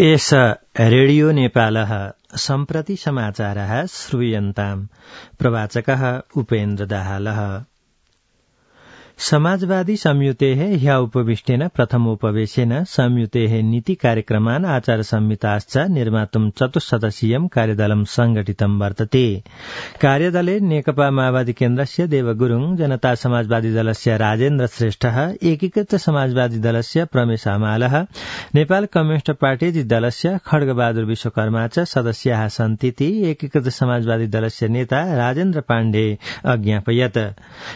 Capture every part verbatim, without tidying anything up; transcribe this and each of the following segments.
एष रेडियो नेपालः सम्प्रति समाचारः श्रूयन्ताम्। प्रवाचकः उपेन्द्र दाहालः। समाजवादी संयुतेः ह्य उपविष्टेन प्रथमोपवेशेन संयुतेः नीति कार्यक्रमान् आचार संहिताश्च निर्मातुं चतुस्सदस्यीयं कार्यदलं संघटितं वर्तते। कार्यदले नेकपा माओवादी केन्द्रस्य देवगुरुङ, जनता समाजवादी दलस्य राजेन्द्र श्रेष्ठः, एकीकृत समाजवादी दलस्य प्रमेश हमालः, नेपाल कम्युनिष्ट पार्टी दलस्य खड्गबहादुर विश्वकर्मा च सदस्याः सन्तीति एकीकृत समाजवादी दलस्य नेता राजेन्द्र पाण्डे अज्ञापयत्।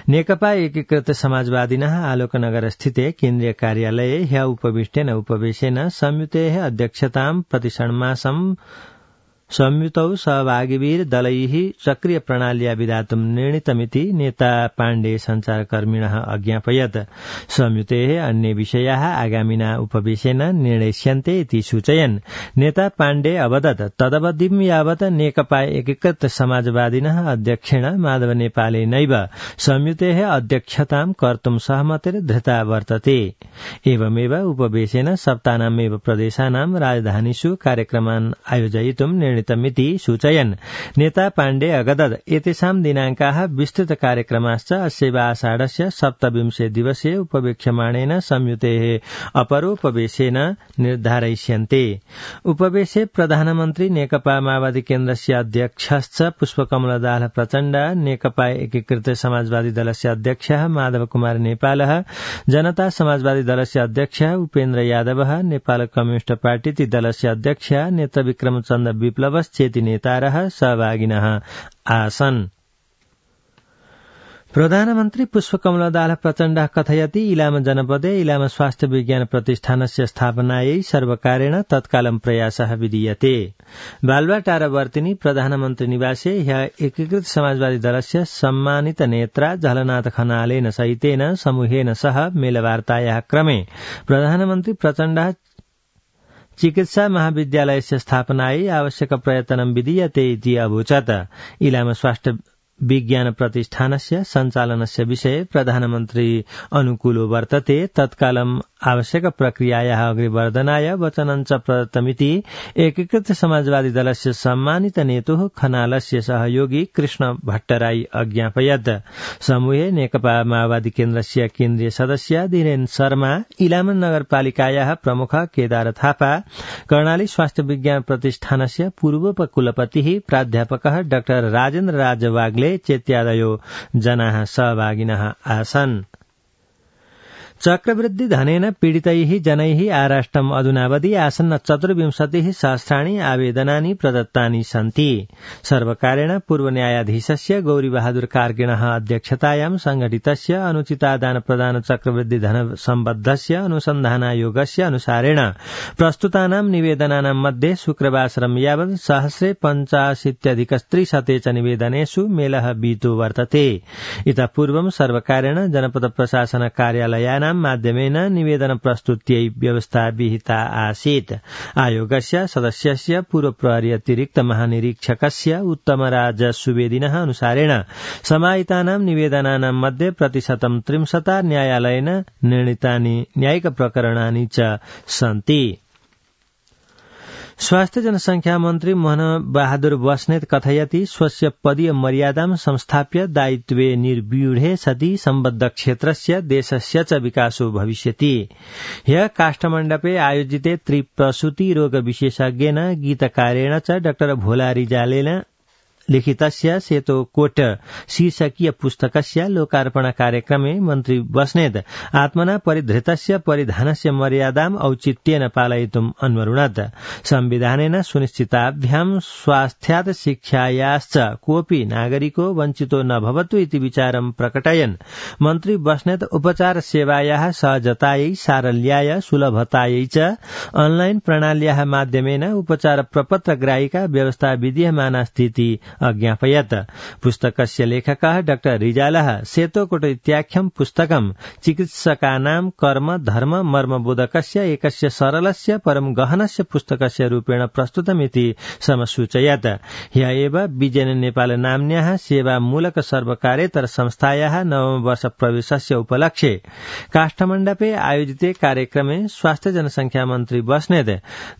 नेकपा एकीकृत समाजवादिनः आलोकनगर स्थिते केन्द्रीय कार्यालये ह्य उपविष्टेन उपवेशेन संयुतेः अध्यक्षतां प्रतिषण्मासं संयुतौ सहभागिभिः दलैः सक्रिय प्रणाल्या विधातुं निर्णीतमिति नेता पाण्डे संचारकर्मिणः अज्ञापयत्। संयुतेः अन्ये विषयाः आगामिना उपवेशेन निर्णयस्यन्ते इति सूचयन्। नेता पाण्डे अवदत् तदवधिं यावत् नेकपा एकीकृत समाजवादिनः अध्यक्षेण माधव नेपालेनैव संयुतेः अध्यक्षतां कर्तुं सहमतिर्धृता वर्तते। एवमेव उपवेशेन सप्ताहनामेव प्रदेशानां राजधानीषु कार्यक्रमान् आयोजयितुं निर्णय मिति सूचयन्। नेता पाण्डे अगदत् एतेषां दिनाङ्काः विस्तृत कार्यक्रमाश्च अस्यैव आषाढस्य सप्तविंशे दिवसे उपवेक्ष्यमाणेन संयुतेः अपरोपवेशेन निर्धारयिष्यन्ते। उपवेशे प्रधानमन्त्री नेकपा माओवादी केन्द्रस्य अध्यक्षश्च पुष्पकमल दाहाल प्रचण्ड, नेकपा एकीकृत समाजवादी दलस्य अध्यक्षः माधव कुमार नेपालः, जनता समाजवादी दलस्य अध्यक्षः उपेन्द्र यादवः, नेपाल कम्युनिष्ट पार्टी दलस्य अध्यक्ष नेत्र विक्रमचन्द्र विप्लव चेति नेतारः सहभागिनः आसन्। प्रधानमन्त्री पुष्पकमल दाहाल प्रचण्डः कथयति इलाम जनपदे इलाम स्वास्थ्य विज्ञान प्रतिष्ठानस्य स्थापनायै सर्वकारेण तत्कालं प्रयासः विधीयते। बालुवाटारवर्तिनी प्रधानमन्त्री निवासे ह्य एकीकृत समाजवादी दलस्य सम्मानित नेत्रा झलनाथ खनालेन सहितेन समूहेन सह मेलवार्तायाः क्रमे प्रधानमन्त्री प्रचण्डः चिकित्सा महाविद्यालयस्य स्थापनायै आवश्यक प्रयत्नं विधीयते इति अवोचत्। इलाम स्वास्थ्य विज्ञान प्रतिष्ठानस्य सञ्चालनस्य विषये प्रधानमन्त्री अनुकूलो वर्तते। तत्कालम् आवश्यक प्रक्रियायाः अग्रिवर्धनाय वचनञ्च प्रदत्तमिति एकीकृत समाजवादी दलस्य सम्मानित नेतुः खनालस्य सहयोगी कृष्ण भट्टराई अज्ञापयत्। समूहे नेकपा माओवादी केन्द्रस्य केन्द्रीय सदस्य धीरेन शर्मा, इलाम नगरपालिकायाः प्रमुख केदार थापा, कर्णाली स्वास्थ्य विज्ञान प्रतिष्ठानस्य पूर्वोपकुलपतिः प्राध्यापकः डाक्टर राजेन्द्र राज वाग्ले चेत्यादयो जनाः सहभागिनः आसन्। चक्रवृद्धि धनेन पीडितैः जनैः आराष्ट्रम् अधुनावधि आसन्न चतुर्विंशतिः सहस्राणि आवेदनानि प्रदत्तानि सन्ति। सर्वकारेण पूर्व न्यायाधीशस्य गौरीबहादुर कार्किणः अध्यक्षतायां संघटितस्य अनुचितादान प्रदान चक्रवृद्धि धन सम्बद्धस्य अनुसन्धानायोगस्य अनुसारेण प्रस्तुतानां निवेदनानां मध्ये शुक्रवासरं यावत् सहस्रे पञ्चाशीत्यधिकत्रिशते च निवेदनेषु मेलः बीतो वर्तते। इतः पूर्वं सर्वकारेण जनपद प्रशासन कार्यालयानां माध्यमेन निवेदन प्रस्तुत्यै व्यवस्था विहिता आसीत्। आयोगस्य सदस्यस्य पूर्व प्रहरी अतिरिक्त महानिरीक्षकस्य उत्तमराज सुवेदिनः अनुसारेण समाहितानां निवेदनानां मध्ये प्रतिशतं त्रिंशता न्यायालयेन निर्णीतानि न्यायिक प्रकरणानि च सन्ति। स्वास्थ्य जनसंख्या मन्त्री मोहन बहादुर बस्नेत कथयति स्वस्य पदीय मर्यादां संस्थाप्य दायित्वे निर्व्यूढे सति सम्बद्ध क्षेत्रस्य देशस्य च विकासो भविष्यति। ह्य काष्ठमण्डपे आयोजिते त्रिप्रसूति रोग विशेषज्ञेन गीतकारेण च डाक्टर भोला रिजालेन लिखितस्य सेतो कोट शीर्षकीय पुस्तकस्य लोकार्पण कार्यक्रमे मन्त्री बस्नेत आत्मना परिधृतस्य परिधानस्य मर्यादाम् औचित्येन पालयितुम् अन्वरुणत्। संविधानेन सुनिश्चिताभ्यां स्वास्थ्यात् शिक्षायाश्च कोऽपि नागरिको वञ्चितो न भवतु इति विचारं प्रकटयन् मन्त्री बस्नेत उपचार सेवायाः सहजतायै, सारल्याय, सुलभतायै च अनलाइन प्रणाल्याः माध्यमेन उपचार प्रपत्र ग्राहिका व्यवस्था विधीयमाना स्थिति अज्ञापयत्। पुस्तकस्य लेखकः डाक्टर रिजालः सेतोकोट इत्याख्यं पुस्तकं चिकित्सकानां कर्म धर्म मर्मबोधकस्य एकस्य सरलस्य परं गहनस्य पुस्तकस्य रूपेण प्रस्तुतमिति समसूचयत्। ह्य एव विजयन नेपाल नाम्न्याः सेवामूलक सर्वकार्येतर संस्थायाः नवम वर्ष प्रवेशस्य उपलक्ष्ये काष्ठमण्डपे आयोजिते कार्यक्रमे स्वास्थ्य जनसंख्या मन्त्री बस्नेत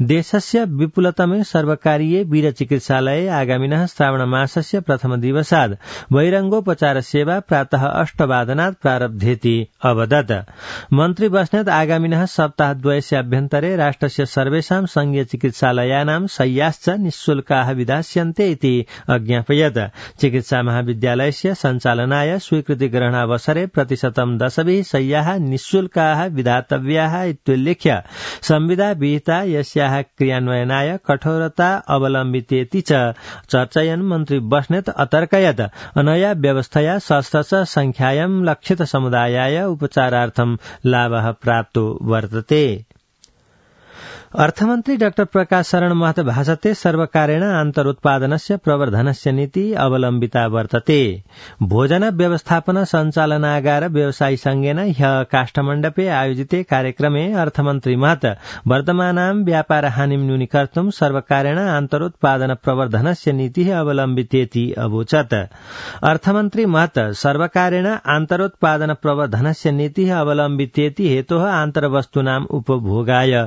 देशस्य विपुलतमे सर्वकारीय वीर चिकित्सालये आगामिनः श्रावण मासस्य प्रथम दिवसात् बहिरंगोपचार सेवा प्रातः अष्टवादनात् प्रारब्धेति अवदत्। मन्त्री बस्नेत आगामिनः सप्ताहद्वयस्य अभ्यन्तरे राष्ट्रस्य सर्वेषां संघीय चिकित्सालयानां शय्याश्च निःशुल्काः विधास्यन्ते इति अज्ञापयत्। चिकित्सा महाविद्यालयस्य सञ्चालनाय स्वीकृति ग्रहणावसरे प्रतिशतं दशभिः शय्याः निःशुल्काः विधातव्याः इत्युल्लिख्य संविदा विहिता यस्याः क्रियान्वयनाय कठोरता अवलम्बितेति च चर्चयन् मन्त्री बस्नेत अतर्कयत् अनया व्यवस्थया षष्ठश संख्यायां लक्षित समुदायाय उपचारार्थं लाभः प्राप्तो वर्तते। अर्थमन्त्री डाक्टर प्रकाश शरण महत भाषते सर्वकारेण आन्तरोत्पादनस्य प्रवर्धनस्य नीति अवलम्बिता वर्तते। भोजन व्यवस्थापन सञ्चालनागार व्यवसायी संघेन ह्यः काष्ठमण्डपे आयोजिते कार्यक्रमे अर्थमन्त्री महत वर्तमानां व्यापार हानिं न्यूनीकर्तुं सर्वकारेण आन्तरोत्पादन प्रवर्धनस्य नीतिः अवलम्बितेति अवोचत्। अर्थमन्त्री महत सर्वकारेण आन्तरोत्पादन प्रवर्धनस्य नीतिः अवलम्बितेति हेतोः आन्तरवस्तूनाम् उपभोगाय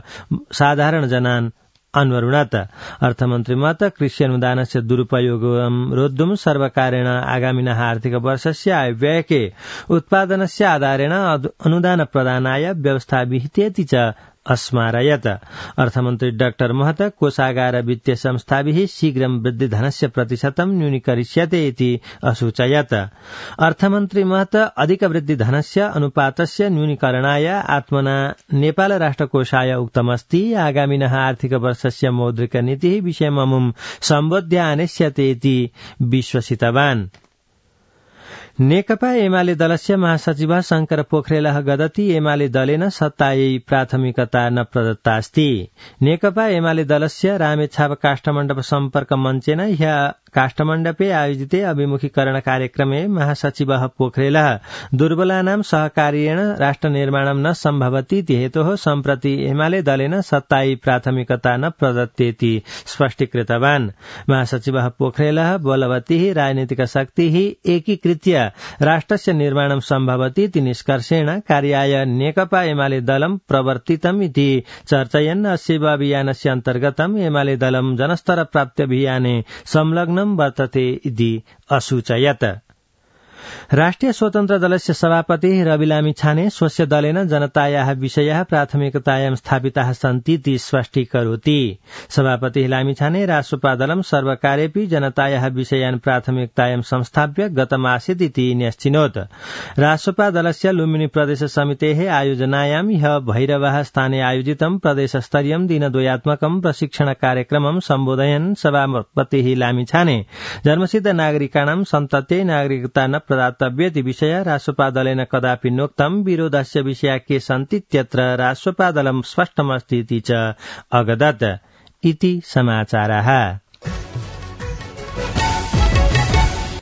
साधारण जनान् अन्वरुणत। अर्थमन्त्री मत कृषि अनुदानस्य दुरुपयोगं रोद्धुं सर्वकारेण आगामिनः आर्थिक वर्षस्य आयव्ययके उत्पादनस्य आधारेण अनुदान प्रदानाय व्यवस्था विहितेति च अस्मारयत्। अर्थमन्त्री डाक्टर महत कोषागार वित्तीय संस्थाभिः शीघ्रं वृद्धिधनस्य प्रतिशतं न्यूनीकरिष्यते इति असूचयत्। अर्थमन्त्री महत अधिक वृद्धिधनस्य अनुपातस्य न्यूनीकरणाय आत्मना नेपाल राष्ट्रकोषाय उक्तमस्ति। आगामिनः आर्थिक वर्षस्य मौद्रिक नीतिः विषयममुं सम्बोध्य आनेष्यते इति विश्वसितवान्। नेकपा एमाले दलस्य महासचिवः शंकर पोखरेलः गदति एमाले दलेन सत्तायै प्राथमिकता न प्रदत्तास्ति। नेकपा एमाले दलस्य रामेछाप काष्ठमण्डप सम्पर्क मञ्चेन ह्यः काष्ठमण्डपे आयोजिते अभिमुखीकरण कार्यक्रमे महासचिवः पोखरेलः दुर्बलानां सहकार्येण राष्ट्र निर्माणं न सम्भवति इति हेतोः सम्प्रति एमाले दलेन सत्तायै प्राथमिकता न प्रदत्तेति स्पष्टीकृतवान्। महासचिवः पोखरेलः बलवतीः राजनीतिक शक्तिः एकीकृत्य राष्ट्रस्य निर्माणं सम्भवति इति निष्कर्षेण कार्याय नेकपा एमाले दलं प्रवर्तितम् इति चर्चयन् अस्यैव अभियानस्य अन्तर्गतम् एमाले दलं जनस्तर प्राप्त्यभियाने संलग्नं वर्तते इति असूचयत्। राष्ट्रिय स्वतन्त्र दलस्य सभापति रवि लामिछाने स्वस्य दलेन जनतायाः विषयाः प्राथमिकतायां स्थापिताः सन्ति इति स्पष्टीकरोति। सभापति लामिछाने राष्ट्रपा दलं सर्वकारेऽपि जनतायाः विषयान् प्राथमिकतायां संस्थाप्य गतमासीत् इति न्यश्चिनोत्। राष्ट्रपा दलस्य लुम्बिनी प्रदेश समितेः आयोजनायां ह्यः भैरवः स्थाने आयोजितं प्रदेशस्तरीयं दिनद्वयात्मकं प्रशिक्षण कार्यक्रमं सम्बोधयन् सभापतिः लामिछाने जन्मसिद्ध नागरिकाणां सन्तते नागरिकता न प्रदातव्येति विषय राष्ट्रपा दलेन कदापि नोक्तं। विरोधस्य विषया के सन्तीत्यत्र राष्ट्रपा दलं स्पष्टमस्ति इति च अगदत्। इति समाचारः।